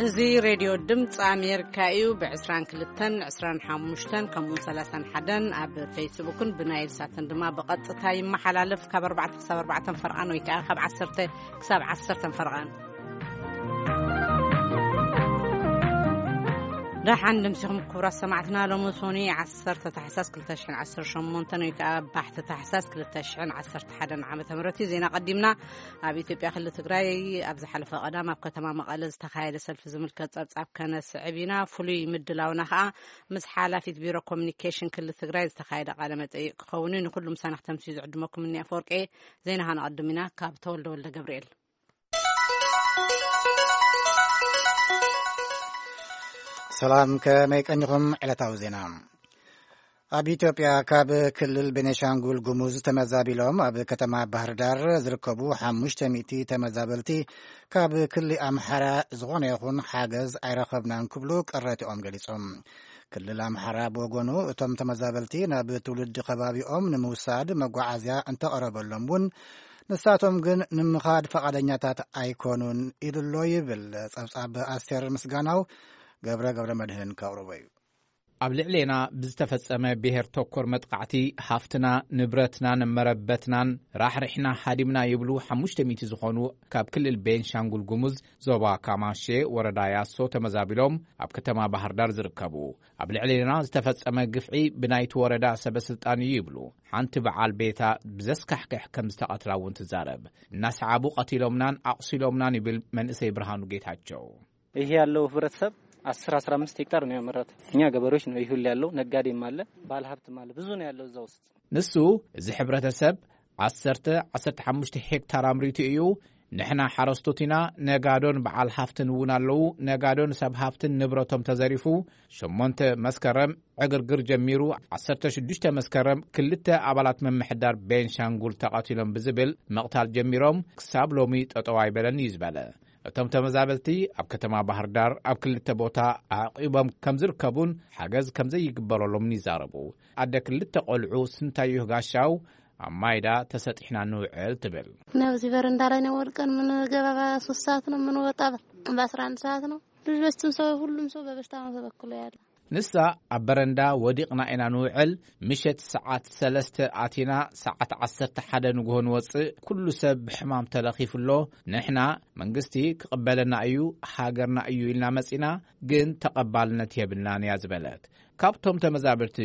እዚ ሬድዮ ድምፂ ኣሜሪካ እዩ። ብ22፣ 25፣ ከምኡውን 31 ኣብ ፌስቡክን ብናይል ሳትን ድማ ብቐጥታ ይመሓላለፍ። ካብ ኣርባዕተ ክሳብ ኣርባዕተ ፈርቓን ወይ ከዓ ካብ ዓሰርተ ክሳብ ዓሰርተ ፈርቓን። ደሓን ድምሲኹም ክቡራት ሰማዕትና። ሎሚ ሶኒ ዓሰርተ ታሕሳስ ክልተ ሽሕን ዓሰርተ ሸሞንተን ወይ ከዓ ባሕቲ ታሕሳስ ክልተ ሽሕን ዓሰርተ ሓደን ዓመተ ምህረት እዩ። ዜና ቀዲምና። ኣብ ኢትዮጵያ ክልል ትግራይ ኣብ ዝሓለፈ ቀዳም ኣብ ከተማ መቐለ ዝተኻየደ ሰልፊ ዝምልከት ጸብጻብ ከነስዕብ ኢና። ፍሉይ ምድላውና ከኣ ምስ ሓላፊት ቢሮ ኮሚኒኬሽን ክልል ትግራይ ዝተኻየደ ቃለ መጠይቅ ክኸውን እዩ። ንኩሉ ምሳና ክተምስዩ ዝዕድመኩም እኒ ኣፈወርቂ። ዜና ከነቐድም ኢና። ካብ ተወልደ ወልደ ገብርኤል። ሰላም፣ ከመይ ቀኒኹም? ዕለታዊ ዜና። ኣብ ኢትዮጵያ ካብ ክልል ቤኔሻንጉል ጉሙዝ ተመዛቢሎም ኣብ ከተማ ባህር ዳር ዝርከቡ ሓሙሽተ ሚእቲ ተመዛበልቲ ካብ ክልል ኣምሓራ ዝኾነ ይኹን ሓገዝ ኣይረኸብናን ክብሉ ቅሬትኦም ገሊጾም። ክልል ኣምሓራ ብወገኑ እቶም ተመዛበልቲ ናብ ትውልዲ ከባቢኦም ንምውሳድ መጓዓዝያ እንተቐረበሎም እውን ንሳቶም ግን ንምኻድ ፈቓደኛታት ኣይኮኑን ኢሉ ኣሎ ይብል ጸብጻብ ኣስቴር ምስጋናው። ገብረ ገብረ መድህን ከቕርቦ እዩ። ኣብ ልዕሌና ብዝተፈጸመ ብሔር ተኮር መጥቃዕቲ ሃፍትና፣ ንብረትናን መረበትናን ራሕሪሕና ሃዲምና ይብሉ ሓሙሽተ ሚእቲ ዝኾኑ ካብ ክልል ቤንሻንጉል ጉሙዝ ዞባ ካማሼ ወረዳ ያሶ ተመዛቢሎም ኣብ ከተማ ባህር ዳር ዝርከቡ። ኣብ ልዕሌና ዝተፈጸመ ግፍዒ ብናይቲ ወረዳ ሰበ ስልጣን እዩ ይብሉ። ሓንቲ በዓል ቤታ ብዘስካሕክሕ ከም ዝተቐትላ እውን ትዛረብ። እናሰዓቡ ቀቲሎምናን ኣቑሲሎምናን ይብል መንእሰይ ብርሃኑ ጌታቸው። ይሄ ያለው ህብረተሰብ አስር አስራ አምስት ሄክታር ነው ያመረተ። እኛ ገበሬዎች ነው ይህ ሁሉ ያለው፣ ነጋዴም አለ፣ ባለሀብትም አለ፣ ብዙ ነው ያለው እዛ ውስጥ። ንሱ፣ እዚ ሕብረተሰብ ዓሰርተ፣ ዓሰርተ ሓሙሽተ ሄክታር ኣምሪቱ እዩ። ንሕና ሓረስቶት ኢና፣ ነጋዶን በዓል ሃፍትን እውን ኣለዉ። ነጋዶን ሰብ ሃፍትን ንብረቶም ተዘሪፉ፣ ሸሞንተ መስከረም ዕግርግር ጀሚሩ፣ ዓሰርተ ሽዱሽተ መስከረም ክልተ ኣባላት ምምሕዳር ቤንሻንጉል ተቐቲሎም ብዝብል ምቕታል ጀሚሮም፣ ክሳብ ሎሚ ጠጠው ኣይበለን እዩ ዝበለ። እቶም ተመዛበልቲ ኣብ ከተማ ባህር ዳር ኣብ ክልተ ቦታ ኣዕቂቦም ከም ዝርከቡን ሓገዝ ከም ዘይግበረሎምን ይዛረቡ። ኣደ ክልተ ቆልዑ ስንታየሁ ጋሻው ኣብ ማይዳ ተሰጢሕና ንውዕል ትብል። ናብዚ በረንዳ ላይ ነው ወድቀን የምንገባ። በሶስት ሰዓት ነው የምንወጣ፣ በአስራ አንድ ሰዓት ነው። ልጆችም ሰው፣ ሁሉም ሰው በበሽታ ነው ተበክሎ ያለ። ንሳ፣ ኣብ በረንዳ ወዲቕና ኢና ንውዕል። ምሸት ሰዓት ሰለስተ ኣቲና፣ ሰዓት ዓሰርተ ሓደ ንግሆ ንወጽእ። ኩሉ ሰብ ብሕማም ተለኺፉ ኣሎ። ንሕና መንግስቲ ክቕበለና እዩ፣ ሃገርና እዩ ኢልና መጺና፣ ግን ተቐባልነት የብልናን እያ ዝበለት። ካብቶም ተመዛበልቲ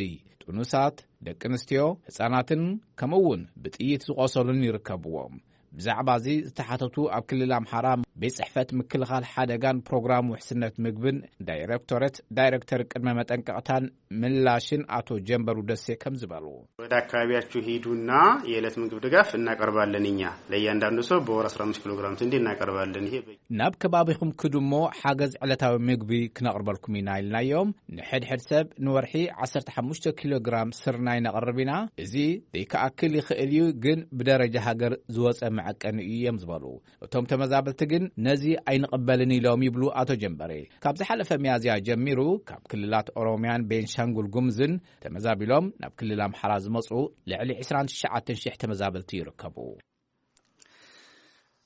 ጥኑሳት፣ ደቂ ኣንስትዮ፣ ህጻናትን ከምኡ እውን ብጥይት ዝቖሰሉን ይርከብዎም። ብዛዕባ እዚ ዝተሓተቱ ኣብ ክልል ኣምሓራ ቤት ጽሕፈት ምክልኻል ሓደጋን ፕሮግራም ውሕስነት ምግብን ዳይሬክቶሬት ዳይሬክተር ቅድመ መጠንቀቕታን ምላሽን ኣቶ ጀንበሩ ደሴ ከም ዝበሉ። ወደ አካባቢያችሁ ሂዱና የዕለት ምግብ ድጋፍ እናቀርባለን እኛ። ለእያንዳንዱ ሰው በወር አስራ አምስት ኪሎ ግራም ስንዴ እናቀርባለን። ይሄ በ- ናብ ከባቢኹም ክዱ እሞ ሓገዝ ዕለታዊ ምግቢ ክነቕርበልኩም ኢና ኢልናዮም። ንሕድሕድ ሰብ ንወርሒ ዓሰርተ ሓሙሽተ ኪሎ ግራም ስርናይ ነቕርብ ኢና። እዚ ዘይከኣክል ይኽእል እዩ፣ ግን ብደረጃ ሃገር ዝወጸ መዐቀኒ እዩ እዮም ዝበሉ። እቶም ተመዛበልቲ ግን ነዚ ኣይንቕበልን ኢሎም ይብሉ ኣቶ ጀንበሬ። ካብ ዝሓለፈ ሚያዝያ ጀሚሩ ካብ ክልላት ኦሮሚያን ቤንሻንጉል ጉምዝን ተመዛቢሎም ናብ ክልል ኣምሓራ ዝመጹ ልዕሊ ዕስራን ትሽዓተን ሽሕ ተመዛበልቲ ይርከቡ።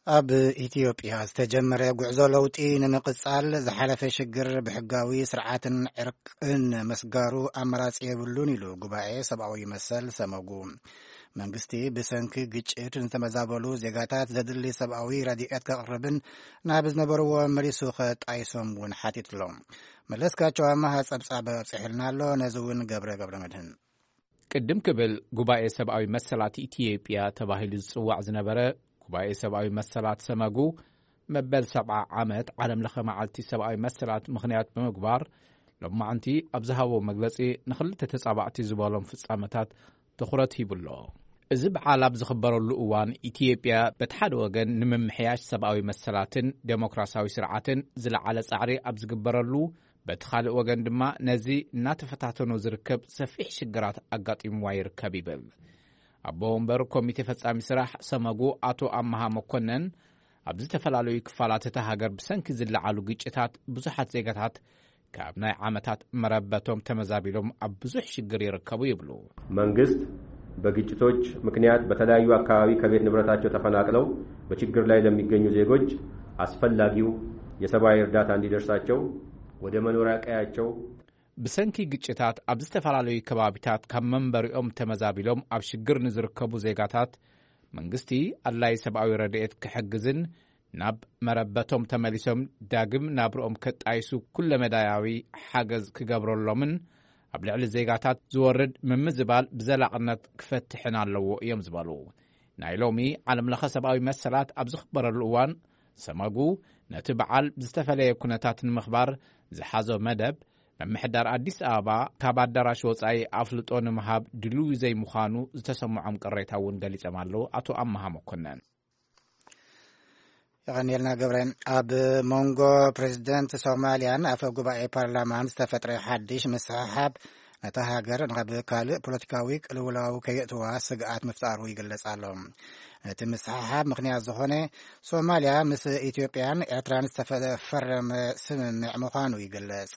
ኣብ ኢትዮጵያ ዝተጀመረ ጉዕዞ ለውጢ ንምቕጻል ዝሓለፈ ሽግር ብሕጋዊ ስርዓትን ዕርቅን ምስጋሩ ኣማራጺ የብሉን ኢሉ ጉባኤ ሰብኣዊ መሰል ሰመጉ። መንግስቲ ብሰንኪ ግጭት ንዝተመዛበሉ ዜጋታት ዘድሊ ሰብኣዊ ረድኤት ከቕርብን ናብ ዝነበርዎ መሊሱ ከጣይሶም እውን ሓቲትሎም። መለስካቸው ኣማሃ ጸብጻብ ኣብጽሕልና ኣሎ። ነዚ እውን ገብረ ገብረ መድህን። ቅድም ክብል ጉባኤ ሰብኣዊ መሰላት ኢትዮጵያ ተባሂሉ ዝጽዋዕ ዝነበረ ጉባኤ ሰብኣዊ መሰላት ሰመጉ መበል ሰብዓ ዓመት ዓለም ለኸ መዓልቲ ሰብኣዊ መሰላት ምኽንያት ብምግባር ሎማዕንቲ ኣብ ዝሃቦ መግለጺ ንኽልተ ተጻባእቲ ዝበሎም ፍጻመታት ትኹረት ሂቡ ኣሎ። እዚ በዓል ኣብ ዝኽበረሉ እዋን ኢትዮጵያ በቲ ሓደ ወገን ንምምሕያሽ ሰብኣዊ መሰላትን ዴሞክራሲያዊ ስርዓትን ዝለዓለ ጻዕሪ ኣብ ዝግበረሉ፣ በቲ ካልእ ወገን ድማ ነዚ እናተፈታተኖ ዝርከብ ሰፊሕ ሽግራት ኣጋጢምዋ ይርከብ ይብል። ኣቦ ወንበር ኮሚቴ ፈጻሚ ስራሕ ሰመጉ ኣቶ ኣመሃ መኮነን፣ ኣብ ዝተፈላለዩ ክፋላት እታ ሃገር ብሰንኪ ዝለዓሉ ግጭታት ብዙሓት ዜጋታት ካብ ናይ ዓመታት መረበቶም ተመዛቢሎም ኣብ ብዙሕ ሽግር ይርከቡ ይብሉ። መንግስት በግጭቶች ምክንያት በተለያዩ አካባቢ ከቤት ንብረታቸው ተፈናቅለው በችግር ላይ ለሚገኙ ዜጎች አስፈላጊው የሰብአዊ እርዳታ እንዲደርሳቸው ወደ መኖሪያ ቀያቸው ብሰንኪ ግጭታት ኣብ ዝተፈላለዩ ከባቢታት ካብ መንበሪኦም ተመዛቢሎም ኣብ ሽግር ንዝርከቡ ዜጋታት መንግስቲ ኣድላይ ሰብኣዊ ረድኤት ክሕግዝን ናብ መረበቶም ተመሊሶም ዳግም ናብርኦም ከጣይሱ ኩለመዳያዊ ሓገዝ ክገብረሎምን ኣብ ልዕሊ ዜጋታት ዝወርድ ምምዝባል ብዘላቕነት ክፈትሕን ኣለዎ እዮም ዝበሉ። ናይ ሎሚ ዓለምለኸ ሰብኣዊ መሰላት ኣብ ዝኽበረሉ እዋን ሰመጉ ነቲ በዓል ብዝተፈለየ ኩነታት ንምኽባር ዝሓዞ መደብ ምምሕዳር ኣዲስ ኣበባ ካብ ኣዳራሽ ወጻኢ ኣፍልጦ ንምሃብ ድልዊ ዘይምዃኑ ዝተሰምዖም ቅሬታ እውን ገሊጾም ኣለዉ። ኣቶ ኣመሃ መኮነን። የቐንየልና ገብረ። ኣብ መንጎ ፕሬዚደንት ሶማልያን ኣፈ ጉባኤ ፓርላማን ዝተፈጥረ ሓድሽ ምስሕሓብ ነታ ሃገር ናብ ካልእ ፖለቲካዊ ቅልውላው ከየእትዋ ስግኣት ምፍጣሩ ይግለጽ ኣሎ። ነቲ ምስሕሓብ ምኽንያት ዝኾነ ሶማልያ ምስ ኢትዮጵያን ኤርትራን ዝተፈረመ ስምምዕ ምዃኑ ይግለጽ።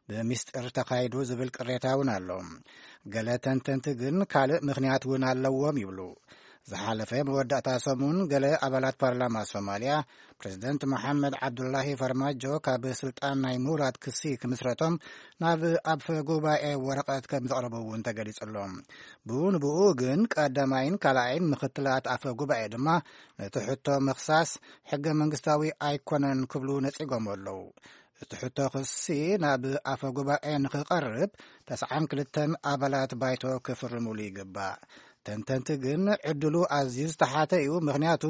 ብሚስጥር ተኻይዱ ዝብል ቅሬታ እውን ኣሎ። ገለ ተንተንቲ ግን ካልእ ምኽንያት እውን ኣለዎም ይብሉ። ዝሓለፈ መወዳእታ ሰሙን ገለ ኣባላት ፓርላማ ሶማልያ ፕሬዚደንት መሓመድ ዓብዱላሂ ፈርማጆ ካብ ስልጣን ናይ ምውራድ ክሲ ክምስረቶም ናብ ኣፈ ጉባኤ ወረቐት ከም ዘቕረቡ እውን ተገሊጹ ኣሎ። ብኡ ንብኡ ግን ቀዳማይን ካልኣይን ምኽትላት ኣፈ ጉባኤ ድማ ነቲ ሕቶ ምኽሳስ ሕገ መንግስታዊ ኣይኮነን ክብሉ ነጺጎም ኣለዉ። እቲ ሕቶ ክሲ ናብ ኣፈ ጉባኤ ንኽቐርብ ተስዓን ክልተን ኣባላት ባይቶ ክፍርሙሉ ይግባእ። ተንተንቲ ግን ዕድሉ ኣዝዩ ዝተሓተ እዩ፣ ምኽንያቱ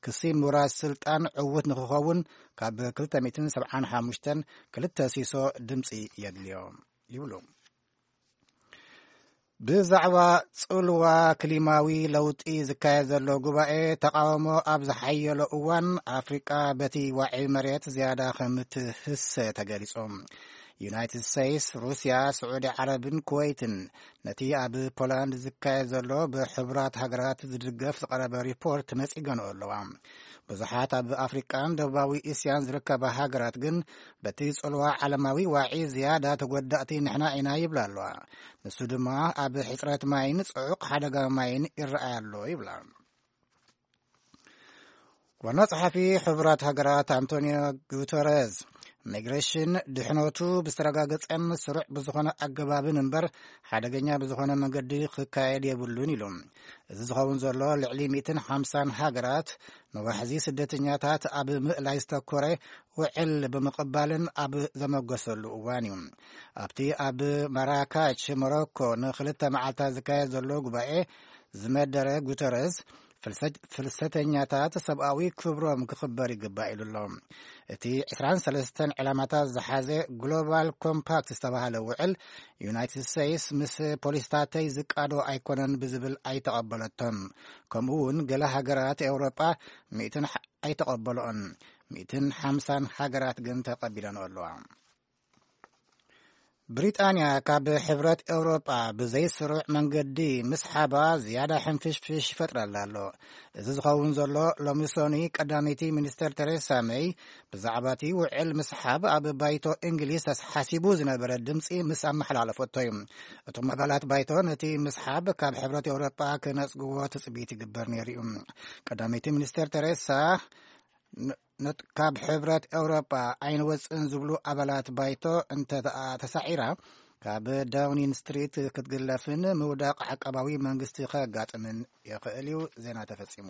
ክሲ ምውራስ ስልጣን ዕዉት ንኽኸውን ካብ ክልተ ሚእትን ሰብዓን ሓሙሽተን ክልተ ሲሶ ድምፂ የድልዮ ይብሉ። ብዛዕባ ጽልዋ ክሊማዊ ለውጢ ዝካየድ ዘሎ ጉባኤ ተቓውሞ ኣብ ዝሓየሎ እዋን ኣፍሪቃ በቲ ዋዒ መሬት ዝያዳ ከም ትህሰ ተገሊጹ። ዩናይትድ ስቴትስ፣ ሩስያ፣ ስዑዲ ዓረብን ኩወይትን ነቲ ኣብ ፖላንድ ዝካየድ ዘሎ ብሕቡራት ሃገራት ዝድገፍ ዝቐረበ ሪፖርት ነጺገንኦ ኣለዋ። ብዙሓት ኣብ ኣፍሪቃን ደቡባዊ እስያን ዝርከባ ሃገራት ግን በቲ ጽልዋ ዓለማዊ ዋዒ ዝያዳ ተጎዳእቲ ንሕና ኢና ይብላ ኣለዋ። ንሱ ድማ ኣብ ሕጽረት ማይን ጽዑቕ ሓደጋ ማይን ይረኣይ ኣሎ ይብላ። ዋና ጸሓፊ ሕቡራት ሃገራት ኣንቶኒዮ ጉተረዝ፣ ሚግሬሽን ድሕነቱ ብዝተረጋገጸን ስሩዕ ብዝኾነ ኣገባብን እምበር ሓደገኛ ብዝኾነ መንገዲ ክካየድ የብሉን ኢሉ። እዚ ዝኸውን ዘሎ ልዕሊ ሚእትን ሓምሳን ሃገራት ንዋሕዚ ስደተኛታት ኣብ ምእላይ ዝተኮረ ውዕል ብምቕባልን ኣብ ዘመገሰሉ እዋን እዩ። ኣብቲ ኣብ ማራካች ሞሮኮ ንክልተ መዓልታት ዝካየድ ዘሎ ጉባኤ ዝመደረ ጉተረዝ፣ ፍልሰት-፣ ፍልሰተኛታት ሰብኣዊ ክብሮም ክኽበር ይግባእ ኢሉ ኣሎ። እቲ ዕስራን ሰለስተን ዕላማታት ዝሓዘ ግሎባል ኮምፓክት ዝተባህለ ውዕል ዩናይትድ ስቴትስ ምስ ፖሊስታተይ ዝቃዶ ኣይኮነን ብዝብል ኣይተቐበለቶን። ከምኡ እውን ገለ ሃገራት ኤውሮጳ ሚእትን ሓ-፣ ኣይተቐበልኦን። ሚእትን ሓምሳን ሃገራት ግን ተቐቢለንኦ ኣለዋ። ብሪጣንያ ካብ ሕብረት ኤውሮጳ ብዘይስሩዕ መንገዲ ምስሓባ ዝያዳ ሕንፍሽፍሽ ይፈጥረላ ኣሎ። እዚ ዝኸውን ዘሎ ሎሚ ሰኑይ ቀዳመይቲ ሚኒስተር ቴሬሳ መይ ብዛዕባ እቲ ውዕል ምስሓብ ኣብ ባይቶ እንግሊዝ ተሓሲቡ ዝነበረ ድምፂ ምስ ኣመሓላለፈቶ እዩ። እቶም ኣባላት ባይቶ ነቲ ምስሓብ ካብ ሕብረት ኤውሮጳ ክነጽግዎ ትጽቢት ይግበር ነይሩ እዩ። ቀዳመይቲ ሚኒስተር ቴሬሳ ን-፣ ነት-፣ ካብ ሕብረት ኤውሮጳ ኣይንወጽእን ዝብሉ ኣባላት ባይቶ እንተ ተሳዒራ፣ ካብ ዳውኒን ስትሪት ክትግለፍን ምውዳቕ ዓቃባዊ መንግስቲ ከጋጥምን ይኽእል እዩ። ዜና ተፈጺሙ።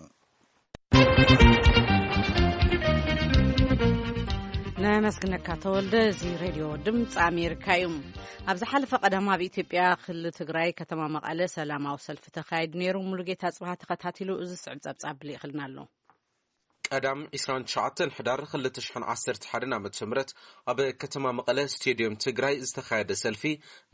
ነመስግነካ ተወልደ። እዚ ሬድዮ ድምፂ ኣሜሪካ እዩ። ኣብ ዝሓለፈ ቀዳም ኣብ ኢትዮጵያ ክልል ትግራይ ከተማ መቐለ ሰላማዊ ሰልፊ ተኻይዱ ነይሩ። ሙሉጌታ ጽብሃ ተኸታቲሉ እዚ ስዕብ ጸብጻብ ልኢኽልና ኣሎ። ቀዳም ዕስራን ትሽዓተን ሕዳር ክልተ ሽሕን ዓሰርተ ሓደን ዓመተ ምህረት ኣብ ከተማ መቐለ ስቴድዮም ትግራይ ዝተኻየደ ሰልፊ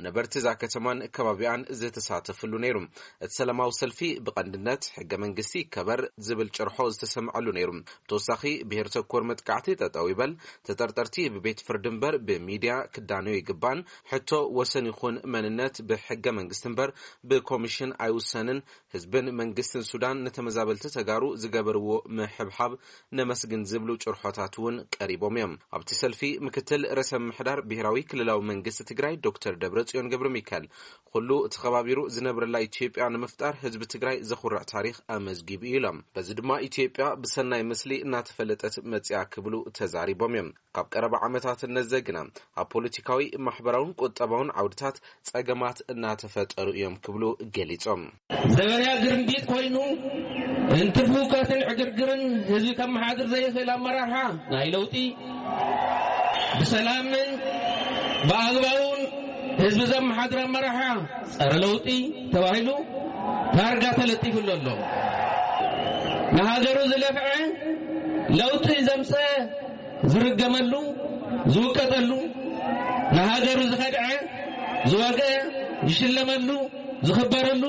ነበርቲ እዛ ከተማን ከባቢኣን ዝተሳተፍሉ ነይሩ። እቲ ሰላማዊ ሰልፊ ብቐንድነት ሕገ መንግስቲ ይከበር ዝብል ጭርሖ ዝተሰምዐሉ ነይሩ። ብተወሳኺ ብሄር ተኮር መጥቃዕቲ ጠጠው ይበል፣ ተጠርጠርቲ ብቤት ፍርዲ እምበር ብሚድያ ክዳነዩ ይግባን፣ ሕቶ ወሰን ይኹን መንነት ብሕገ መንግስቲ እምበር ብኮሚሽን ኣይውሰንን፣ ህዝብን መንግስትን ሱዳን ንተመዛበልቲ ተጋሩ ዝገበርዎ ምሕብሓብ ነመስግን ዝብሉ ጭርሖታት እውን ቀሪቦም እዮም። ኣብቲ ሰልፊ ምክትል ርእሰ ምምሕዳር ብሔራዊ ክልላዊ መንግስቲ ትግራይ ዶክተር ደብረጽዮን ገብረ ሚካኤል፣ ኩሉ ተኸባቢሩ ዝነብረላ ኢትዮጵያ ንምፍጣር ህዝቢ ትግራይ ዘኹርዕ ታሪኽ ኣመዝጊቡ እዩ ኢሎም። በዚ ድማ ኢትዮጵያ ብሰናይ ምስሊ እናተፈለጠት መጽያ ክብሉ ተዛሪቦም እዮም። ካብ ቀረባ ዓመታት እነዘ ግና ኣብ ፖለቲካዊ፣ ማሕበራውን ቁጠባውን ዓውድታት ጸገማት እናተፈጠሩ እዮም ክብሉ ገሊጾም። ዘበንያ ግርምቢጥ ኮይኑ እንትርፉካትን ዕግርግርን ህዝቢ ከመሓድር ዘይኽእል ኣመራርሓ ናይ ለውጢ፣ ብሰላምን ብኣግባቡን ህዝቢ ዘመሓድር ኣመራርሓ ጸረ ለውጢ ተባሂሉ ታርጋ ተለጢፉሉ ኣሎ። ንሃገሩ ዝለፍዐ፣ ለውጢ ዘምፀ ዝርገመሉ፣ ዝውቀጠሉ፣ ንሃገሩ ዝኸድዐ፣ ዝወገ ዝሽለመሉ፣ ዝኽበረሉ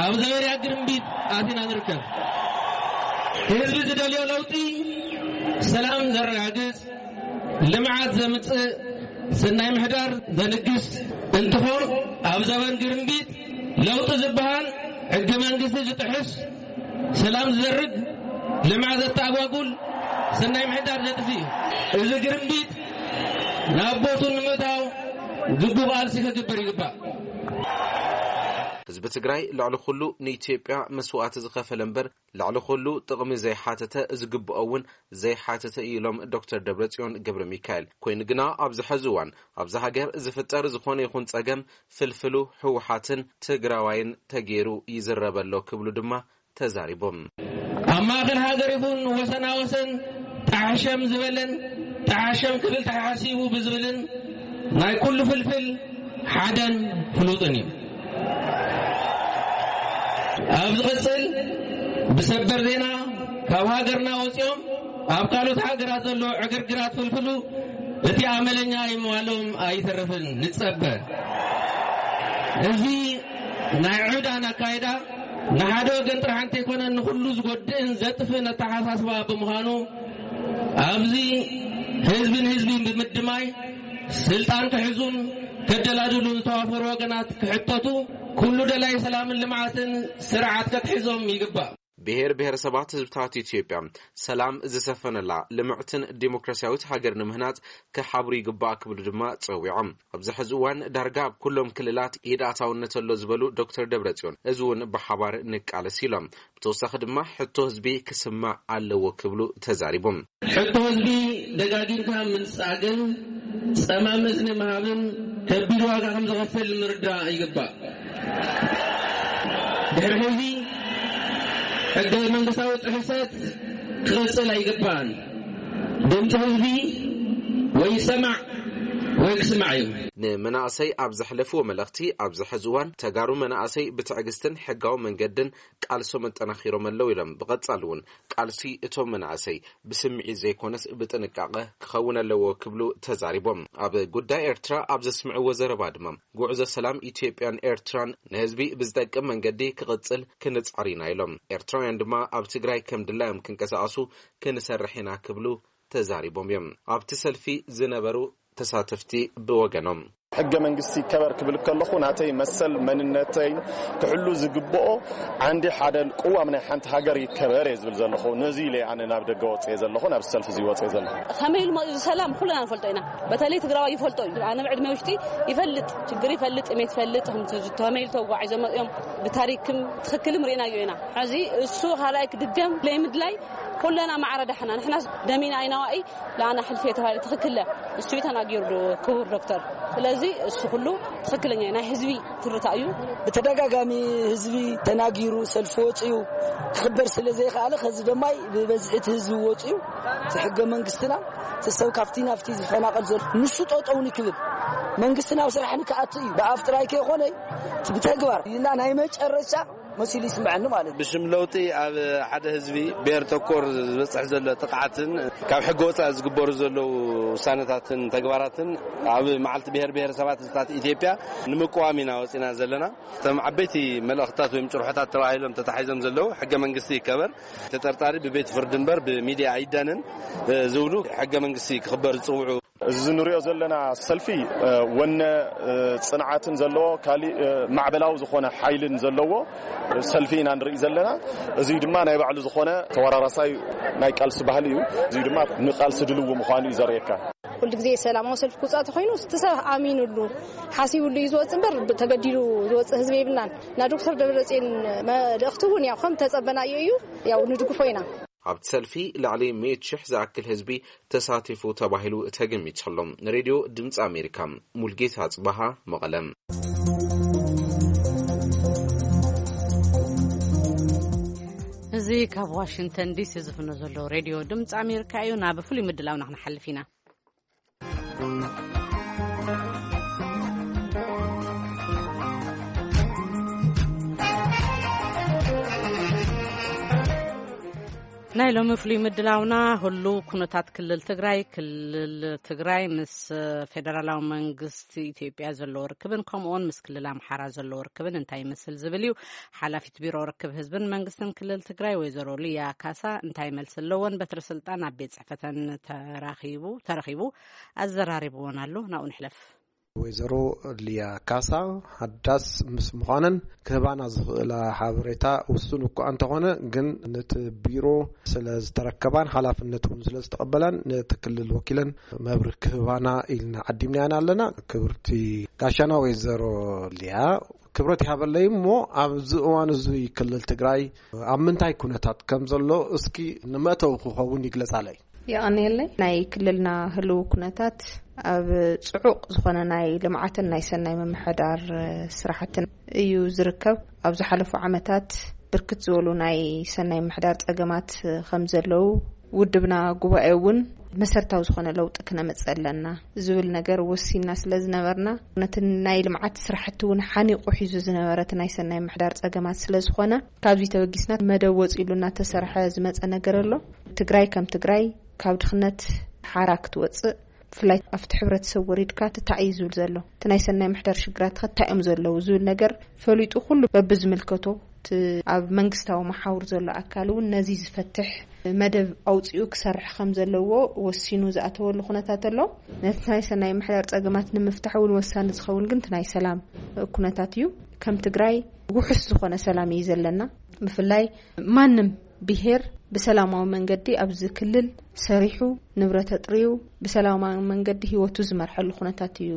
ኣብ ዘበንያ ግርምቢጥ ኣቲና ንርከብ። ህዝቢ ዝደልዮ ለውጢ ሰላም ዘረጋግጽ፣ ልምዓት ዘምጽእ፣ ሰናይ ምሕዳር ዘንግስ እንትኾን፣ ኣብ ዘበን ግርምቢጥ ለውጢ ዝበሃል ሕገ መንግስቲ ዝጥሕስ፣ ሰላም ዝዘርግ፣ ልምዓት ዘተኣጓጉል፣ ሰናይ ምሕዳር ዘጥፊ እዩ። እዚ ግርምቢጥ ናብ ቦቱ ንምእታው ግቡእ ቃልሲ ክግበር ይግባእ። ህዝቢ ትግራይ ልዕሊ ኩሉ ንኢትዮጵያ መስዋእቲ ዝኸፈለ እምበር ልዕሊ ኩሉ ጥቕሚ ዘይሓተተ ዝግብኦ እውን ዘይሓተተ እዩ ኢሎም ዶክተር ደብረጽዮን ገብረ ሚካኤል። ኮይኑ ግና ኣብዚ ሐዚ እዋን ኣብዛ ሃገር ዝፍጠር ዝኾነ ይኹን ጸገም ፍልፍሉ ህወሓትን ትግራዋይን ተገይሩ ይዝረበሎ ክብሉ ድማ ተዛሪቦም። ኣብ ማእኸል ሃገር ይኹን ወሰና ወሰን ጣዕሸም ዝበለን ጣዕሸም ክብል ተሓሲቡ ብዝብልን ናይ ኩሉ ፍልፍል ሓደን ፍሉጥን እዩ። ኣብ ዝቕፅል ብሰበር ዜና ካብ ሃገርና ወፂኦም ኣብ ካልኦት ሃገራት ዘሎ ዕግርግራት ፍልፍሉ እቲ ኣመለኛ ይመዋሎም ኣይተረፍን ንፀበ። እዚ ናይ ዕዳን ኣካይዳ ንሓደ ወገን ጥራሕ እንተይኮነ ንኹሉ ዝጎድእን ዘጥፍእን ኣተሓሳስባ ብምዃኑ ኣብዚ ህዝብን ህዝብን ብምድማይ ስልጣን ክሕዙን ከደላድሉ ዝተዋፈሩ ወገናት ክሕተቱ ኩሉ ደላይ ሰላምን ልምዓትን ስርዓት ከትሕዞም ይግባእ። ብሔር ብሔረሰባት ህዝብታት ኢትዮጵያ ሰላም ዝሰፈነላ ልምዕትን ዲሞክራሲያዊት ሃገር ንምህናጽ ክሓብሩ ይግባእ ክብሉ ድማ ጸዊዖም። ኣብዚ ሕዚ እዋን ዳርጋ ኣብ ኩሎም ክልላት ኢድ ኣታውነት ኣሎ ዝበሉ ዶክተር ደብረጽዮን፣ እዚ እውን ብሓባር ንቃለስ ኢሎም። ብተወሳኺ ድማ ሕቶ ህዝቢ ክስማዕ ኣለዎ ክብሉ ተዛሪቦም። ሕቶ ህዝቢ ደጋጊምካ ምንጻግን ጸማም እዝኒ ምሃብን ከቢድ ዋጋ ከም ዘኸፍል ምርዳእ ይግባእ። ድሕሪ ሕዚ ሕገ መንግስታዊ ጥሕሰት ክቐጽል ኣይግባእን። ድምፂ ህዝቢ ወይ ይሰማዕ ወይ ክስማዕ እዩ። ንመናእሰይ ኣብ ዘሕለፍዎ መልእኽቲ፣ ኣብዚ ሕዚ እዋን ተጋሩ መናእሰይ ብትዕግስትን ሕጋዊ መንገድን ቃልሶም ኣጠናኺሮም ኣለዉ ኢሎም። ብቐጻሊ እውን ቃልሲ እቶም መናእሰይ ብስምዒት ዘይኮነስ ብጥንቃቐ ክኸውን ኣለዎ ክብሉ ተዛሪቦም። ኣብ ጉዳይ ኤርትራ ኣብ ዘስምዕዎ ዘረባ ድማ፣ ጉዕዞ ሰላም ኢትዮጵያን ኤርትራን ንህዝቢ ብዝጠቅም መንገዲ ክቕጽል ክንጻር ኢና ኢሎም። ኤርትራውያን ድማ ኣብ ትግራይ ከም ድላዮም ክንቀሳቐሱ ክንሰርሕ ኢና ክብሉ ተዛሪቦም እዮም። ኣብቲ ሰልፊ ዝነበሩ ተሳተፍቲ ብወገኖም፣ ሕገ መንግስቲ ይከበር ክብል ከለኹ ናተይ መሰል መንነተይ ክሕሉ ዝግብኦ ዓንዲ ሓደ ቅዋም ናይ ሓንቲ ሃገር ይከበር እየ ዝብል ዘለኹ። ነዚ ኢለ ኣነ ናብ ደገ ወፅየ ዘለኹ፣ ናብ ሰልፊ እዚ ወፅየ ዘለኹ። ከመይ ኢሉ መፂኡ እዚ ሰላም ኩልና ንፈልጦ ኢና። በተለይ ትግራዋይ ይፈልጦ እዩ። ኣነ ብዕድመ ውሽጢ ይፈልጥ፣ ችግር ይፈልጥ፣ ጥሜት ይፈልጥ፣ ከምቲ ከመይ ኢሉ ተጓዒዞም መፂኦም ብታሪክም ትኽክልም ርኢናዮ ኢና። ሕዚ እሱ ካልኣይ ክድገም ለይምድላይ ኩለና ማዕረ ዳሕና ንሕና ደሚና ኣይናዋኢ ለኣና ሕልፊ የተባለ ትኽክለ እሱ እዩ ተናጊሩ ክቡር ዶክተር። ስለዚ እሱ ኩሉ ትኽክለኛ ናይ ህዝቢ ትርታ እዩ። ብተደጋጋሚ ህዝቢ ተናጊሩ ሰልፊ ወፂኡ ክኽበር ስለ ዘይከኣለ ከዚ ደማይ ብበዝሒ እቲ ህዝቢ ወፂኡ እቲ ሕገ መንግስትና እቲ ሰብ ካብቲ ናብቲ ዝፈናቐል ዘሎ ንሱ ጠጠው ንክብል መንግስትና ኣብ ስራሕ ንክኣቱ እዩ። ብኣፍ ጥራይ ከይኮነ ብተግባር ኢልና ናይ መጨረሻ መሲሉ ይስምዐኒ ማለት እዩ። ብሽም ለውጢ ኣብ ሓደ ህዝቢ ብሔር ተኮር ዝበፅሕ ዘሎ ጥቕዓትን ካብ ሕጊ ወፃኢ ዝግበሩ ዘለዉ ውሳነታትን ተግባራትን ኣብ መዓልቲ ብሔር ብሔረሰባት ህዝብታት ኢትዮጵያ ንምቅዋም ኢና ወፂና ዘለና። እቶም ዓበይቲ መልእኽትታት ወይም ጭርሖታት ተባሂሎም ተታሒዞም ዘለዉ ሕገ መንግስቲ ይከበር፣ ተጠርጣሪ ብቤት ፍርዲ እምበር ብሚድያ ኣይዳንን ዝብሉ ሕገ መንግስቲ ክኽበር ዝፅውዑ እዚ ንሪኦ ዘለና ሰልፊ፣ እ፣ ወነ፣ እ፣ ጽንዓትን ዘለዎ፣ ካሊእ፣ እ፣ ማዕበላዊ ዝኾነ ሓይልን ዘለዎ፣ እ፣ ሰልፊ ኢና ንርኢ ዘለና። እዚ ድማ ናይ ባዕሉ ዝኾነ ተወራራሳይ ናይ ቃልሲ ባህሊ እዩ። እዚ ድማ ንቃልሲ ድልው ምዃኑ እዩ ዘርእየካ። ኩሉ ግዜ ሰላማዊ ሰልፊ ክውጻእ ተኾይኑ፣ እቲ ሰብ ኣሚኑሉ፣ ሓሲቡሉ እዩ ዝወጽእ እምበር፣ ተገዲዱ ዝወጽእ ህዝቢ የብልናን። እና ዶክተር ደብረጽዮን መልእኽቲ እውን ያው ከም ተጸበናዮ እዩ፣ ያው ንድግፎ ኢና። ኣብቲ ሰልፊ ልዕሊ ሚእቲ ሽሕ ዝኣክል ህዝቢ ተሳቲፉ ተባሂሉ ተገሚቱ ኣሎ። ንሬድዮ ድምፂ ኣሜሪካ፣ ሙልጌታ ኣፅባሃ፣ መቐለም። እዚ ካብ ዋሽንግተን ዲሲ ዝፍኖ ዘሎ ሬድዮ ድምፂ ኣሜሪካ እዩ። ናብ ፍሉይ ምድላውና ክንሓልፍ ኢና። ናይ ሎሚ ፍሉይ ምድላውና፣ ህሉው ኩነታት ክልል ትግራይ፣ ክልል ትግራይ ምስ ፌደራላዊ መንግስቲ ኢትዮጵያ ዘለዎ ርክብን፣ ከምኡውን ምስ ክልል ኣምሓራ ዘለዎ ርክብን እንታይ ይመስል ዝብል እዩ። ሓላፊት ቢሮ ርክብ ህዝብን መንግስትን ክልል ትግራይ ወይዘሮ ሊያ ካሳ እንታይ መልሲ ኣለዎን? በትሪ ስልጣን ኣብ ቤት ጽሕፈተን ተራኺቡ፣ ተረኺቡ ኣዘራሪብዎን ኣሎ። ናብኡ ንሕለፍ። ወይዘሮ ሊያ ካሳ፣ ሓዳስ ምስ ምዃነን ክህባና ዝኽእላ ሓበሬታ ውሱን እኳ እንተኾነ፣ ግን ነቲ ቢሮ ስለ ዝተረከባን ሓላፍነት እውን ስለ ዝተቐበላን፣ ነቲ ክልል ወኪለን መብርሂ ክህባና ኢልና ዓዲምናየን ኣለና። ክብርቲ ጋሻና ወይዘሮ ሊያ፣ ክብረት ይሃበለይ። እሞ ኣብዚ እዋን እዚ ክልል ትግራይ ኣብ ምንታይ ኩነታት ከም ዘሎ እስኪ ንመእተዊ ክኸውን ይግለጻለይ። የቐንየለይ። ናይ ክልልና ህልው ኩነታት ኣብ ጽዑቕ ዝኾነ ናይ ልምዓትን ናይ ሰናይ ምምሕዳር ስራሕትን እዩ ዝርከብ። ኣብ ዝሓለፉ ዓመታት ብርክት ዝበሉ ናይ ሰናይ ምምሕዳር ጸገማት ከም ዘለዉ፣ ውድብና ጉባኤ እውን መሰረታዊ ዝኾነ ለውጢ ክነመጽእ ኣለና ዝብል ነገር ወሲንና ስለ ዝነበርና፣ ነቲ ናይ ልምዓት ስራሕቲ እውን ሓኒቑ ሒዙ ዝነበረ እቲ ናይ ሰናይ ምምሕዳር ጸገማት ስለ ዝኾነ፣ ካብዚ ተበጊስና መደብ ወጺሉ እናተሰርሐ ዝመጸ ነገር ኣሎ። ትግራይ ከም ትግራይ ካብ ድኽነት ሓራ ክትወጽእ፣ ብፍላይ ኣብቲ ሕብረተሰብ ወሪድካ ትታይ እዩ ዝብል ዘሎ፣ እቲ ናይ ሰናይ ምሕዳር ሽግራት እንታይ እዮም ዘለዉ ዝብል ነገር ፈሊጡ፣ ኩሉ በብዝምልከቶ እቲ ኣብ መንግስታዊ መሓውር ዘሎ ኣካል እውን ነዚ ዝፈትሕ መደብ ኣውፂኡ ክሰርሕ ከም ዘለዎ ወሲኑ ዝኣተወሉ ኩነታት ኣሎ። ነቲ ናይ ሰናይ ምሕዳር ፀገማት ንምፍታሕ እውን ወሳኒ ዝኸውን ግን እቲ ናይ ሰላም ኩነታት እዩ። ከም ትግራይ ውሑስ ዝኾነ ሰላም እዩ ዘለና። ብፍላይ ማንም ብሄር ብሰላማዊ መንገዲ ኣብዚ ክልል ሰሪሑ፣ ንብረት ኣጥርዩ፣ ብሰላማዊ መንገዲ ህይወቱ ዝመርሐሉ ኩነታት እዩ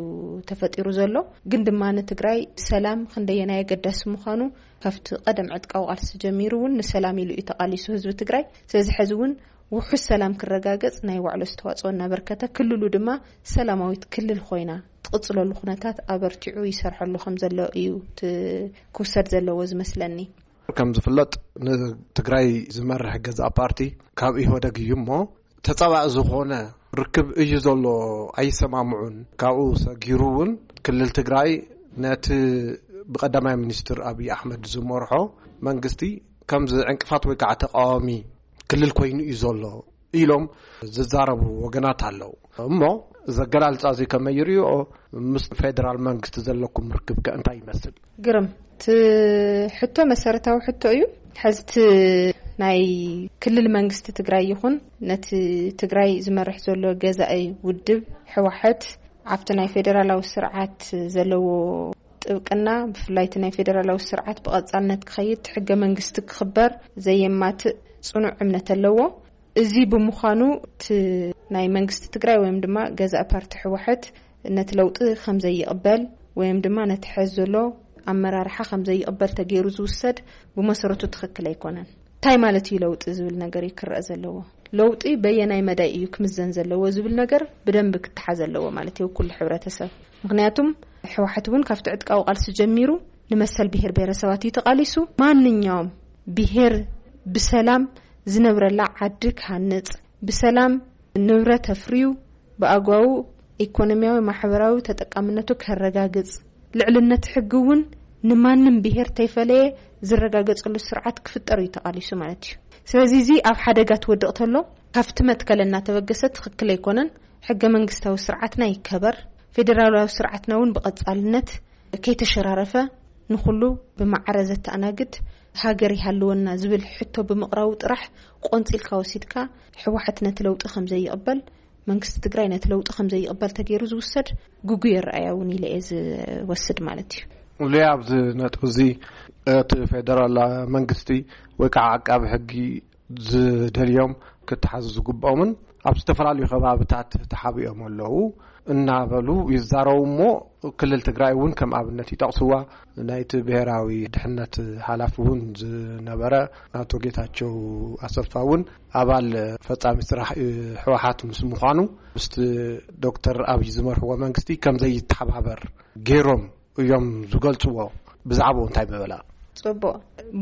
ተፈጢሩ ዘሎ። ግን ድማ ንትግራይ ሰላም ክንደየናይ ኣገዳሲ ምዃኑ ካብቲ ቀደም ዕጥቃዊ ቃልሲ ጀሚሩ እውን ንሰላም ኢሉ እዩ ተቓሊሱ ህዝቢ ትግራይ። ስለዚ ሕዚ እውን ውሑስ ሰላም ክረጋገጽ ናይ ባዕሉ ኣስተዋጽኦ እናበርከተ፣ ክልሉ ድማ ሰላማዊት ክልል ኮይና ትቕጽለሉ ኩነታት ኣበርቲዑ ይሰርሐሉ ከም ዘሎ እዩ እቲ ክውሰድ ዘለዎ ዝመስለኒ። ከም ዝፍለጥ፣ ንትግራይ ዝመርሕ ገዛእ ፓርቲ ካብ ኢህወደግ እዩ እሞ፣ ተጻባኢ ዝኾነ ርክብ እዩ ዘሎ፣ ኣይሰማምዑን። ካብኡ ሰጊሩ እውን ክልል ትግራይ ነቲ ብቀዳማይ ሚኒስትር ኣብይ ኣሕመድ ዝመርሖ መንግስቲ ከም ዕንቅፋት ወይ ከዓ ተቃዋሚ ክልል ኮይኑ እዩ ዘሎ ኢሎም ዝዛረቡ ወገናት ኣለዉ። እሞ እዚ ኣገላልጻ እዚ ከመይ ይርእዮ? ምስ ፌደራል መንግስቲ ዘለኩም ርክብ ከ እንታይ ይመስል? ግርም፣ እቲ ሕቶ መሰረታዊ ሕቶ እዩ። ሕዚ እቲ ናይ ክልል መንግስቲ ትግራይ ይኹን ነቲ ትግራይ ዝመርሕ ዘሎ ገዛኢ ውድብ ህወሓት ኣብቲ ናይ ፌደራላዊ ስርዓት ዘለዎ ጥብቅና፣ ብፍላይ እቲ ናይ ፌደራላዊ ስርዓት ብቐጻልነት ክኸይድ፣ ሕገ መንግስቲ ክኽበር ዘየማትእ ጽኑዕ እምነት ኣለዎ። እዚ ብምዃኑ እቲ ናይ መንግስቲ ትግራይ ወይም ድማ ገዛኢ ፓርቲ ህወሓት ነቲ ለውጢ ከም ዘይቕበል ወይም ድማ ነቲ ሕዚ ዘሎ ኣመራርሓ ከም ዘይቕበል ተገይሩ ዝውሰድ ብመሰረቱ ትኽክል ኣይኮነን። እንታይ ማለት እዩ ለውጢ ዝብል ነገር እዩ ክረአ ዘለዎ። ለውጢ በየናይ መዳይ እዩ ክምዘን ዘለዎ ዝብል ነገር ብደንቢ ክተሓዝ ኣለዎ ማለት እዩ፣ ኩሉ ሕብረተሰብ። ምኽንያቱም ህወሓት እውን ካብቲ ዕጥቃዊ ቃልሲ ጀሚሩ ንመሰል ብሄር ብሄረሰባት እዩ ተቓሊሱ። ማንኛውም ብሄር ብሰላም ዝነብረላ ዓዲ ክሃንጽ፣ ብሰላም ንብረት ኣፍርዩ ብኣግባቡ ኢኮኖሚያዊ፣ ማሕበራዊ ተጠቃምነቱ ከረጋግጽ፣ ልዕልነት ሕጊ እውን ንማንም ብሄር ተይፈለየ ዝረጋገጸሉ ስርዓት ክፍጠር እዩ ተቓሊሱ ማለት እዩ። ስለዚ እዚ ኣብ ሓደጋ ትወድቕ ተሎ ካብቲ መትከል እናተበገሰ ትኽክል ኣይኮነን። ሕገ መንግስታዊ ስርዓትና ይከበር፣ ፌዴራላዊ ስርዓትና እውን ብቐጻልነት ከይተሸራረፈ ንኹሉ ብማዕረ ዘተኣናግድ ሃገር ይሃልወና ዝብል ሕቶ ብምቕራቡ ጥራሕ ቆንጺልካ ወሲድካ ህወሓት ነቲ ለውጢ ከም ዘይቕበል መንግስቲ ትግራይ ነቲ ለውጢ ከም ዘይቕበል ተገይሩ ዝውሰድ ግጉይ ኣረኣእያ እውን ኢለ እየ ዝወስድ ማለት እዩ። ሉያ፣ ኣብዚ ነጥቢ እዚ እቲ ፌደራል መንግስቲ ወይ ከዓ ዓቃቢ ሕጊ ዝደልዮም ክተሓዙ ዝግብኦምን ኣብ ዝተፈላለዩ ከባብታት ተሓቢኦም ኣለዉ እናበሉ ይዛረቡ እሞ፣ ክልል ትግራይ እውን ከም ኣብነት ይጠቕስዋ። ናይቲ ብሔራዊ ድሕነት ሓላፊ እውን ዝነበረ ኣቶ ጌታቸው ኣሰፋ እውን ኣባል ፈጻሚ ስራሕ ህወሓት ምስ ምዃኑ፣ ምስቲ ዶክተር ኣብይ ዝመርሕዎ መንግስቲ ከም ዘይተሓባበር ገይሮም እዮም ዝገልጽዎ። ብዛዕባኡ እንታይ ምበላ? ጽቡቕ።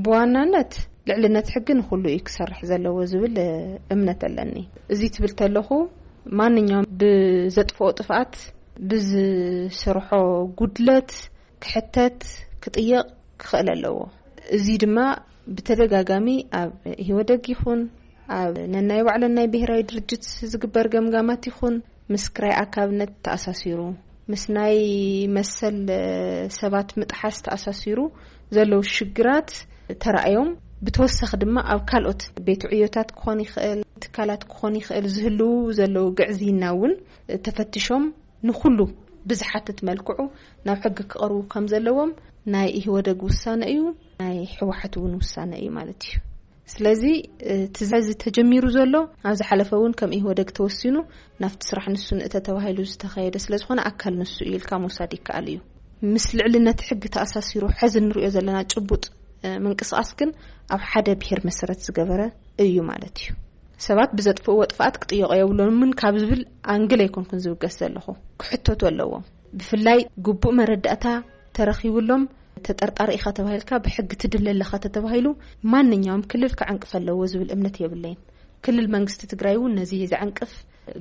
ብዋናነት ልዕልነት ሕጊ ንኹሉ እዩ ክሰርሕ ዘለዎ ዝብል እምነት ኣለኒ። እዚ ትብል ተለኹ፣ ማንኛውም ብዘጥፍኦ ጥፍኣት፣ ብዝሰርሖ ጉድለት ክሕተት፣ ክጥየቕ ክኽእል ኣለዎ። እዚ ድማ ብተደጋጋሚ ኣብ ኢህወደግ ይኹን ኣብ ነናይ ባዕለን ናይ ብሔራዊ ድርጅት ዝግበር ገምጋማት ይኹን ምስ ክራይ ኣካብነት ተኣሳሲሩ፣ ምስ ናይ መሰል ሰባት ምጥሓስ ተኣሳሲሩ ዘለዉ ሽግራት ተራእዮም፣ ብተወሳኺ ድማ ኣብ ካልኦት ቤት ዕዮታት ክኾን ይኽእል፣ ትካላት ክኾን ይኽእል፣ ዝህልዉ ዘለዉ ግዕዝይና እውን ተፈትሾም ንኹሉ ብዝሓትት መልክዑ ናብ ሕጊ ክቐርቡ ከም ዘለዎም ናይ ኢህወደግ ውሳነ እዩ፣ ናይ ህወሓት እውን ውሳነ እዩ ማለት እዩ። ስለዚ እቲ ዛዚ ተጀሚሩ ዘሎ፣ ኣብ ዝሓለፈ እውን ከም ኢህወደግ ተወሲኑ ናብቲ ስራሕ ንሱ ንእተ ተባሂሉ ዝተኸየደ ስለ ዝኾነ፣ ኣካል ንሱ እዩ ኢልካ ምውሳድ ይከኣል እዩ። ምስ ልዕልነት ሕጊ ተኣሳሲሩ ሐዚ ንሪኦ ዘለና ጭቡጥ ምንቅስቃስ ግን ኣብ ሓደ ብሄር መሰረት ዝገበረ እዩ ማለት እዩ። ሰባት ብዘጥፍእዎ ጥፍኣት ክጥየቑ የብሎምን ካብ ዝብል ኣንግል ኣይኮንኩን ዝብገስ ዘለኹ። ክሕተቱ ኣለዎም። ብፍላይ ግቡእ መረዳእታ ተረኺብሎም፣ ተጠርጣሪ ኢኻ ተባሂልካ፣ ብሕጊ ትድለ ኣለኻ ተተባሂሉ፣ ማንኛውም ክልል ክዕንቅፍ ኣለዎ ዝብል እምነት የብለይን። ክልል መንግስቲ ትግራይ እውን ነዚ ዘዕንቅፍ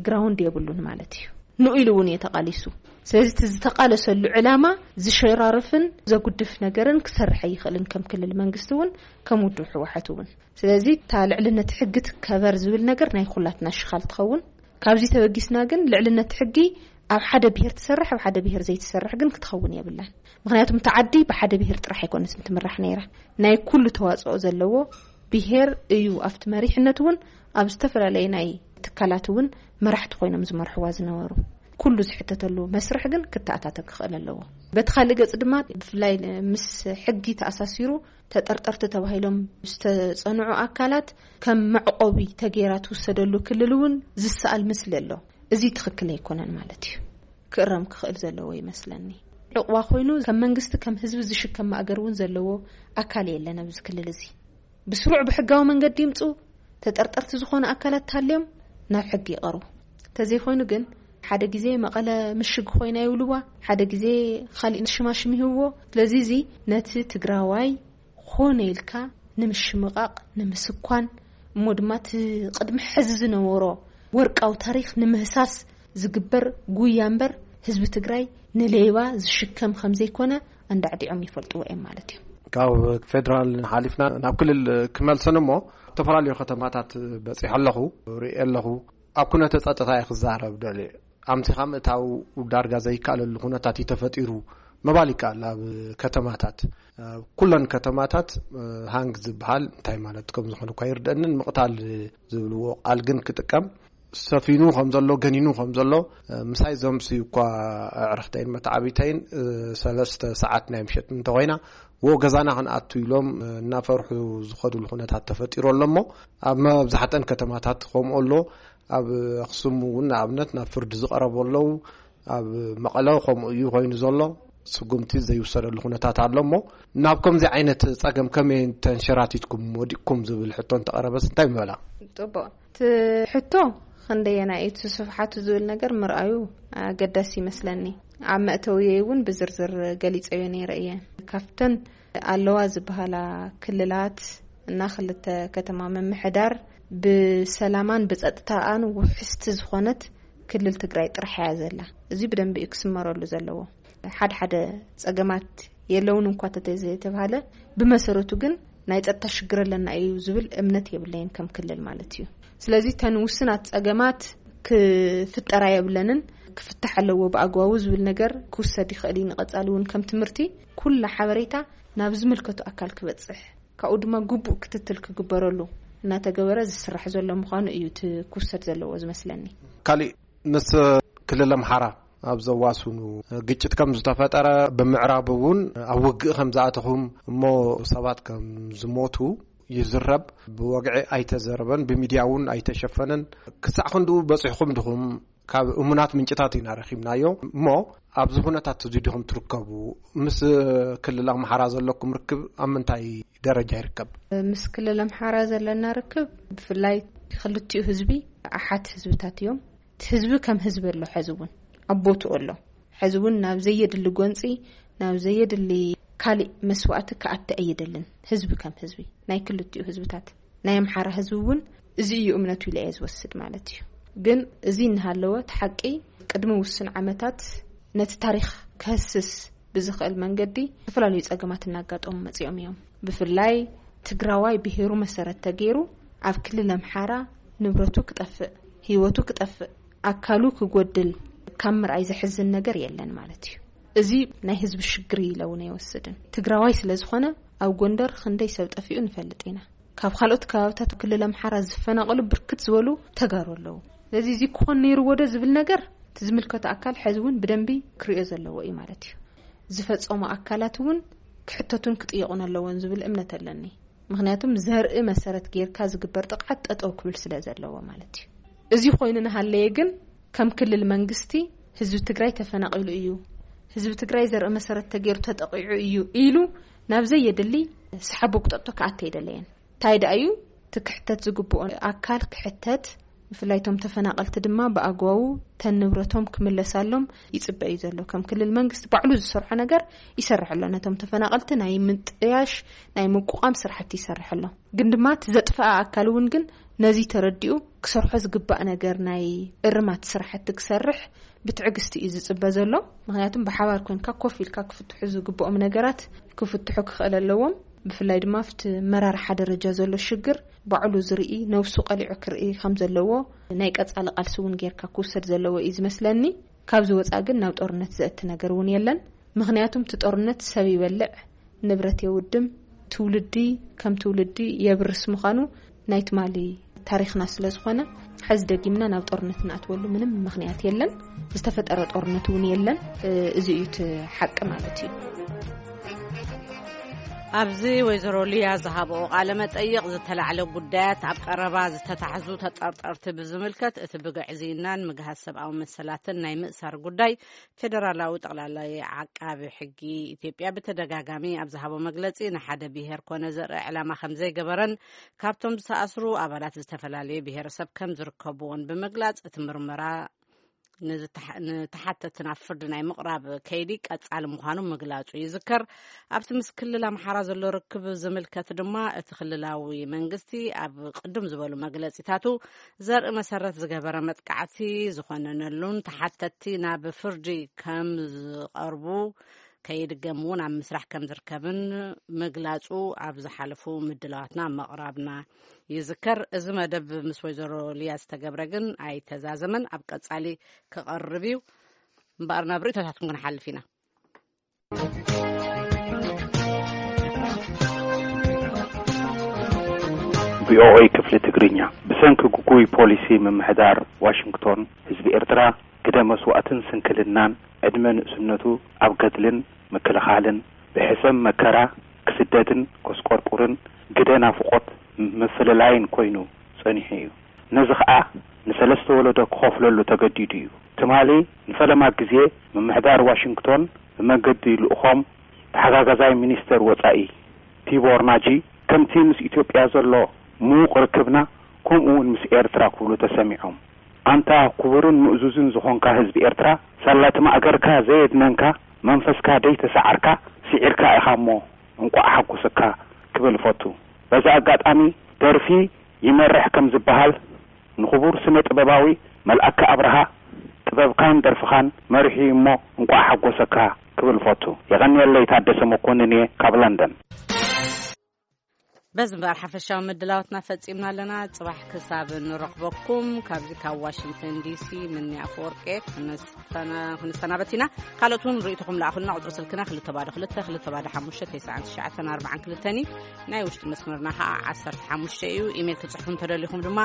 ግራውንድ የብሉን ማለት እዩ። ንኡ ኢሉ እውን እየ ተቓሊሱ። ስለዚ እቲ ዝተቓለሰሉ ዕላማ ዝሸራርፍን ዘጉድፍ ነገርን ክሰርሕ ኣይኽእልን፣ ከም ክልል መንግስቲ እውን ከም ውድብ ህወሓት እውን። ስለዚ እታ ልዕልነት ሕጊ ትከበር ዝብል ነገር ናይ ኩላትና ሽኻል ትኸውን። ካብዚ ተበጊስና ግን ልዕልነት ሕጊ ኣብ ሓደ ብሄር ትሰርሕ፣ ኣብ ሓደ ብሄር ዘይትሰርሕ ግን ክትኸውን የብላን። ምኽንያቱም እታ ዓዲ ብሓደ ብሄር ጥራሕ ኣይኮነትን ትምራሕ ነይራ። ናይ ኩሉ ተዋፅኦ ዘለዎ ብሄር እዩ። ኣብቲ መሪሕነት እውን ኣብ ዝተፈላለየ ናይ ትካላት እውን መራሕቲ ኮይኖም ዝመርሕዋ ዝነበሩ። ኩሉ ዝሕተተሉ መስርሕ ግን ክተኣታተ ክኽእል ኣለዎ። በቲ ካልእ ገፅ ድማ ብፍላይ ምስ ሕጊ ተኣሳሲሩ ተጠርጠርቲ ተባሂሎም ዝተጸንዑ ኣካላት ከም መዕቆቢ ተገይራ ትውሰደሉ ክልል እውን ዝሰኣል ምስሊ ኣሎ። እዚ ትኽክል ኣይኮነን ማለት እዩ። ክእረም ክኽእል ዘለዎ ይመስለኒ። ዕቑባ ኮይኑ ከም መንግስቲ ከም ህዝቢ ዝሽከም ማእገር እውን ዘለዎ ኣካል የለን ኣብዚ ክልል እዚ። ብስሩዕ ብሕጋዊ መንገዲ ይምፁ፣ ተጠርጠርቲ ዝኾኑ ኣካላት ተሃልዮም ናብ ሕጊ ይቐርቡ። እንተዘይኮይኑ ግን ሓደ ግዜ መቐለ ምሽግ ኮይና ይብልዋ፣ ሓደ ግዜ ካሊእ ሽማሽም ይህብዎ። ስለዚ እዚ ነቲ ትግራዋይ ኾነ ኢልካ ንምሽምቓቕ፣ ንምስኳን፣ እሞ ድማ እቲ ቅድሚ ሕዚ ዝነበሮ ወርቃዊ ታሪኽ ንምህሳስ ዝግበር ጉያ እምበር ህዝቢ ትግራይ ንሌባ ዝሽከም ከም ዘይኮነ ኣንዳዕዲዖም ይፈልጥዎ እዮም ማለት እዩ። ካብ ፌደራል ሓሊፍና ናብ ክልል ክመልሰን እሞ፣ ዝተፈላለዩ ከተማታት በፂሐ ኣለኹ፣ ርእየ ኣለኹ። ኣብ ኩነተ ጸጥታ እየ ክዛረብ ደልየ። ኣምሲኻ ምእታው ዳርጋ ዘይከኣለሉ ኩነታት እዩ ተፈጢሩ ምባል ይከኣል። ኣብ ከተማታት፣ ኣብ ኩለን ከተማታት፣ እ፣ ሃንግ ዝበሃል እንታይ ማለት ከም ዝኾነ እኳ ይርደእንን፣ ምቕታል ዝብልዎ ቃል ግን ክጥቀም ሰፊኑ ከም ዘሎ፣ ገኒኑ ከም ዘሎ፣ እ፣ ምሳይ ዘምስዩ እኳ ኣዕርኽተይን መተዓቢተይን፣ እ፣ ሰለስተ ሰዓት ናይ ምሸት እንተኾይና፣ "ዎ፣ ገዛና ክንኣቱ" ኢሎም፣ እ፣ እናፈርሑ ዝኸዱሉ ኩነታት ተፈጢሩ ኣሎ እሞ፣ ኣብ መብዛሕተን ከተማታት ከምኡ ኣሎ። ኣብ ኣኽሱም እውን ንኣብነት ናብ ፍርዲ ዝቐረቡ ኣለዉ። ኣብ መቐለ ከምኡ እዩ ኮይኑ ዘሎ። ስጉምቲ ዘይውሰደሉ ኩነታት ኣሎ እሞ፣ ናብ ከምዚ ዓይነት ጸገም ከመይ ተንሸራቲትኩም ወዲቅኩም ዝብል ሕቶ እንተቐረበስ እንታይ ምበላ? ጽቡቕ። እቲ ሕቶ ክንደየናይ እዩ እቲ ስፍሓቱ ዝብል ነገር ምርኣዩ ኣገዳሲ ይመስለኒ። ኣብ መእተውየይ እውን ብዝርዝር ገሊጸዮ ነይረ እየ። ካብተን ኣለዋ ዝበሃላ ክልላት እና ክልተ ከተማ ምምሕዳር ብሰላማን ብጸጥታኣን ውሕስቲ ዝኾነት ክልል ትግራይ ጥራሕ እያ ዘላ። እዚ ብደንቢ እዩ ክስመረሉ ዘለዎ። ሓደ ሓደ ጸገማት የለውን እንኳ ተተዘይተባሃለ፣ ብመሰረቱ ግን ናይ ጸጥታ ሽግር ኣለና እዩ ዝብል እምነት የብለይን ከም ክልል ማለት እዩ። ስለዚ ተን ውስናት ጸገማት ክፍጠራ የብለንን፣ ክፍታሕ ኣለዎ ብኣግባቡ ዝብል ነገር ክውሰድ ይኽእል እዩ። ንቐጻሊ እውን ከም ትምህርቲ ኩላ ሓበሬታ ናብ ዝምልከቱ ኣካል ክበጽሕ፣ ካብኡ ድማ ግቡእ ክትትል ክግበረሉ እናተገበረ ዝስራሕ ዘሎ ምዃኑ እዩ እቲ ክውሰድ ዘለዎ ዝመስለኒ። ካሊእ ምስ ክልል ኣምሓራ ኣብ ዘዋስኑ ግጭት ከም ዝተፈጠረ፣ ብምዕራብ እውን ኣብ ውግእ ከም ዝኣተኹም፣ እሞ ሰባት ከም ዝሞቱ ይዝረብ። ብወግዒ ኣይተዘረበን፣ ብሚድያ እውን ኣይተሸፈነን። ክሳዕ ክንድኡ በፂሕኩም ድኹም? ካብ እሙናት ምንጭታት ኢና ረኺብናዮ። እሞ ኣብዚ ኩነታት እዚ ዲኹም ትርከቡ? ምስ ክልል ኣምሓራ ዘለኩም ርክብ ኣብ ምንታይ ደረጃ ይርከብ? ምስ ክልል ኣምሓራ ዘለና ርክብ፣ ብፍላይ ክልቲኡ ህዝቢ ኣሓት ህዝብታት እዮም። እቲ ህዝቢ ከም ህዝቢ ኣሎ፣ ሕዚ እውን ኣብ ቦትኡ ኣሎ። ሕዚ እውን ናብ ዘየድሊ ጎንፂ፣ ናብ ዘየድሊ ካሊእ መስዋእቲ ክኣቲ ኣይደልን። ህዝቢ ከም ህዝቢ፣ ናይ ክልቲኡ ህዝብታት፣ ናይ ኣምሓራ ህዝቢ እውን እዚ እዩ እምነቱ ኢለ እየ ዝወስድ ማለት እዩ። ግን እዚ እናሃለወ፣ እቲ ሓቂ፣ ቅድሚ ውሱን ዓመታት ነቲ ታሪኽ ክህስስ ብዝኽእል መንገዲ ዝተፈላለዩ ጸገማት እናጋጠሙ መጺኦም እዮም። ብፍላይ ትግራዋይ ብሄሩ መሰረት ተገይሩ ኣብ ክልል ኣምሓራ ንብረቱ ክጠፍእ፣ ህይወቱ ክጠፍእ፣ ኣካሉ ክጎድል ካብ ምርኣይ ዘሕዝን ነገር የለን ማለት እዩ። እዚ ናይ ህዝቢ ሽግር እዩ ኢለ እውን ኣይወስድን። ትግራዋይ ስለ ዝኾነ ኣብ ጎንደር ክንደይ ሰብ ጠፊኡ ንፈልጥ ኢና። ካብ ካልኦት ከባብታት ክልል ኣምሓራ ዝፈናቐሉ ብርክት ዝበሉ ተጋሩ ኣለዉ። ስለዚ እዚ ክኾን ነይርዎ ዶ ዝብል ነገር እቲ ዝምልከቶ ኣካል ሕዚ እውን ብደንቢ ክርእዮ ዘለዎ እዩ ማለት እዩ። ዝፈጸሙ ኣካላት እውን ክሕተቱን ክጥየቑን ኣለዎን ዝብል እምነት ኣለኒ። ምኽንያቱም ዘርኢ መሰረት ጌርካ ዝግበር ጥቕዓት ጠጠው ክብል ስለ ዘለዎ ማለት እዩ። እዚ ኮይኑ እናሃለየ ግን ከም ክልል መንግስቲ ህዝቢ ትግራይ ተፈናቒሉ እዩ፣ ህዝቢ ትግራይ ዘርኢ መሰረት ተገይሩ ተጠቒዑ እዩ ኢሉ ናብ ዘየድሊ ሰሓቦ ክጠጦ ክኣተ ኣይደለየን። እንታይ ደኣ እዩ እቲ ክሕተት ዝግብኦ ኣካል ክሕተት፣ ብፍላይ እቶም ተፈናቐልቲ ድማ ብኣግባቡ ተን ንብረቶም ክምለሳሎም ይጽበ እዩ ዘሎ። ከም ክልል መንግስቲ ባዕሉ ዝሰርሖ ነገር ይሰርሕ ኣሎ። ነቶም ተፈናቐልቲ ናይ ምጥያሽ፣ ናይ ምቁቋም ስራሕቲ ይሰርሕ ኣሎ። ግን ድማ እቲ ዘጥፈኣ ኣካል እውን ግን ነዚ ተረዲኡ ክሰርሖ ዝግባእ ነገር ናይ እርማት ስራሕቲ ክሰርሕ ብትዕግስቲ እዩ ዝጽበ ዘሎ። ምኽንያቱም ብሓባር ኮንካ ኮፍ ኢልካ ክፍትሑ ዝግብኦም ነገራት ክፍትሑ ክኽእል ኣለዎም። ብፍላይ ድማ ኣብቲ መራርሓ ደረጃ ዘሎ ሽግር ባዕሉ ዝርኢ፣ ነብሱ ቀሊዑ ክርኢ ከም ዘለዎ ናይ ቀጻሊ ቃልሲ እውን ጌርካ ክውሰድ ዘለዎ እዩ ዝመስለኒ። ካብዚ ወጻኢ ግን ናብ ጦርነት ዘእቲ ነገር እውን የለን። ምኽንያቱም እቲ ጦርነት ሰብ ይበልዕ፣ ንብረት የውድም፣ ትውልዲ ከም ትውልዲ የብርስ ምዃኑ ናይ ትማሊ ታሪኽና ስለ ዝኾነ፣ ሕዚ ደጊምና ናብ ጦርነት ንኣትወሉ ምንም ምኽንያት የለን። ዝተፈጠረ ጦርነት እውን የለን። እ፣ እዚ እዩ እቲ ሓቂ ማለት እዩ። ኣብዚ ወይዘሮ ሊያ ዝሃብኦ ቃለ መጠይቕ ዝተላዕለ ጉዳያት፣ ኣብ ቀረባ ዝተታሕዙ ተጠርጠርቲ ብዝምልከት፣ እቲ ብግዕዝይናን ምግሃስ ሰብኣዊ መሰላትን ናይ ምእሳር ጉዳይ ፌደራላዊ ጠቕላላይ ዓቃቢ ሕጊ ኢትዮጵያ ብተደጋጋሚ ኣብ ዝሃቦ መግለጺ፣ ንሓደ ብሄር ኮነ ዘርኢ ዕላማ ከም ዘይገበረን ካብቶም ዝተኣስሩ ኣባላት ዝተፈላለየ ብሄረሰብ ከም ዝርከብዎን ብምግላጽ፣ እቲ ምርመራ ንዝተሓ-፣ ንተሓተቲ ናብ ፍርዲ ናይ ምቕራብ ከይዲ ቀጻሊ ምዃኑ ምግላጹ ይዝከር። ኣብቲ ምስ ክልል ኣምሓራ ዘሎ ርክብ ዝምልከት ድማ፣ እቲ ክልላዊ መንግስቲ ኣብ ቅድም ዝበሉ መግለጺታቱ፣ ዘርኢ መሰረት ዝገበረ መጥቃዕቲ ዝኾነነሉን ተሓተቲ ናብ ፍርዲ ከም ዝቐርቡ ከይድገም እውን ኣብ ምስራሕ ከም ዝርከብን ምግላጹ ኣብ ዝሓለፉ ምድላዋትና ምቕራብና ይዝከር። እዚ መደብ ምስ ወይዘሮ ሊያ ዝተገብረ ግን ኣይተዛዘመን። ኣብ ቀጻሊ ክቐርብ እዩ። እምበኣር ናብ ርእይቶታትኩም ክንሓልፍ ኢና። ቪኦኤ ክፍሊ ትግርኛ። ብሰንኪ ግጉይ ፖሊሲ ምምሕዳር ዋሽንግቶን፣ ህዝቢ ኤርትራ ግደ መስዋእትን ስንክልናን፣ ዕድመ ንእስነቱ ኣብ ገድልን ምክልኻልን፣ ብሕሰም መከራ ክስደድን ከስቆርቁርን፣ ግደ ናፍቖት ምፍልላይን ኮይኑ ጸኒሑ እዩ። ነዚ ኸኣ ንሰለስተ ወለዶ ክኸፍለሉ ተገዲዱ እዩ። ትማሊ ንፈለማ ግዜ ምምሕዳር ዋሽንግቶን ብመገዲ ልኡኾም ተሓጋጋዛይ ሚኒስተር ወጻኢ ቲቦር ናጂ፣ ከምቲ ምስ ኢትዮጵያ ዘሎ ምዉቕ ርክብና፣ ከምኡ እውን ምስ ኤርትራ ክብሉ ተሰሚዖም። ኣንታ ክቡርን ምእዙዝን ዝኾንካ ህዝቢ ኤርትራ፣ ሳላ እቲ ማእገርካ ዘየድነንካ፣ መንፈስካ ደይተሳዓርካ፣ ስዒርካ ኢኻ እሞ እንቋዕ ሓጎሰካ ክብል እፈቱ። በዚ ኣጋጣሚ ደርፊ ይመርሕ ከም ዝበሃል፣ ንኽቡር ስነ ጥበባዊ መልኣከ ኣብርሃ ጥበብካን ደርፍኻን መሪሑ እዩ እሞ እንቋዕ ሓጎሰካ ክብል እፈቱ። የቐንየለይ፣ ታደሰ መኮንን እየ ካብ ለንደን። በዚ እምበኣር ሓፈሻዊ ምድላዋትና ፈጺምና ኣለና። ጽባሕ ክሳብ ንረኽበኩም ካብዚ ካብ ዋሽንግተን ዲሲ ምኒ ኣፈወርቄ ክንሰና-፣ ክንሰናበት ኢና። ካልኦት እውን ርእይቶኹም ለኣኹልና። ቁጽሪ ስልክና ክልተ ባዶ ክልተ፣ ክልተ ባዶ ሓሙሽተ፣ ተስዓን ትሽዓተን ኣርባዓን ክልተን እዩ። ናይ ውሽጢ መስመርና ኸዓ ዓሰርተ ሓሙሽተ እዩ። ኢሜይል ክትጽሕፉ እንተደሊኹም ድማ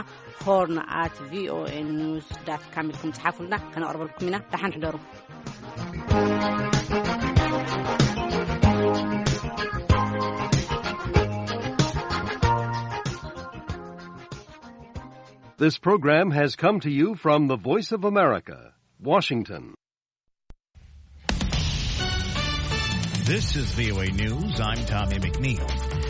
ሆርን ኣት ቪኦኤ ኒውስ ዳት ካም ኢልኩም ጽሓፉልና፣ ከነቕርበልኩም ኢና። ደሓን ሕደሩ። This program has come to you from the Voice of America, Washington. This is V O A News. I'm Tommy McNeil.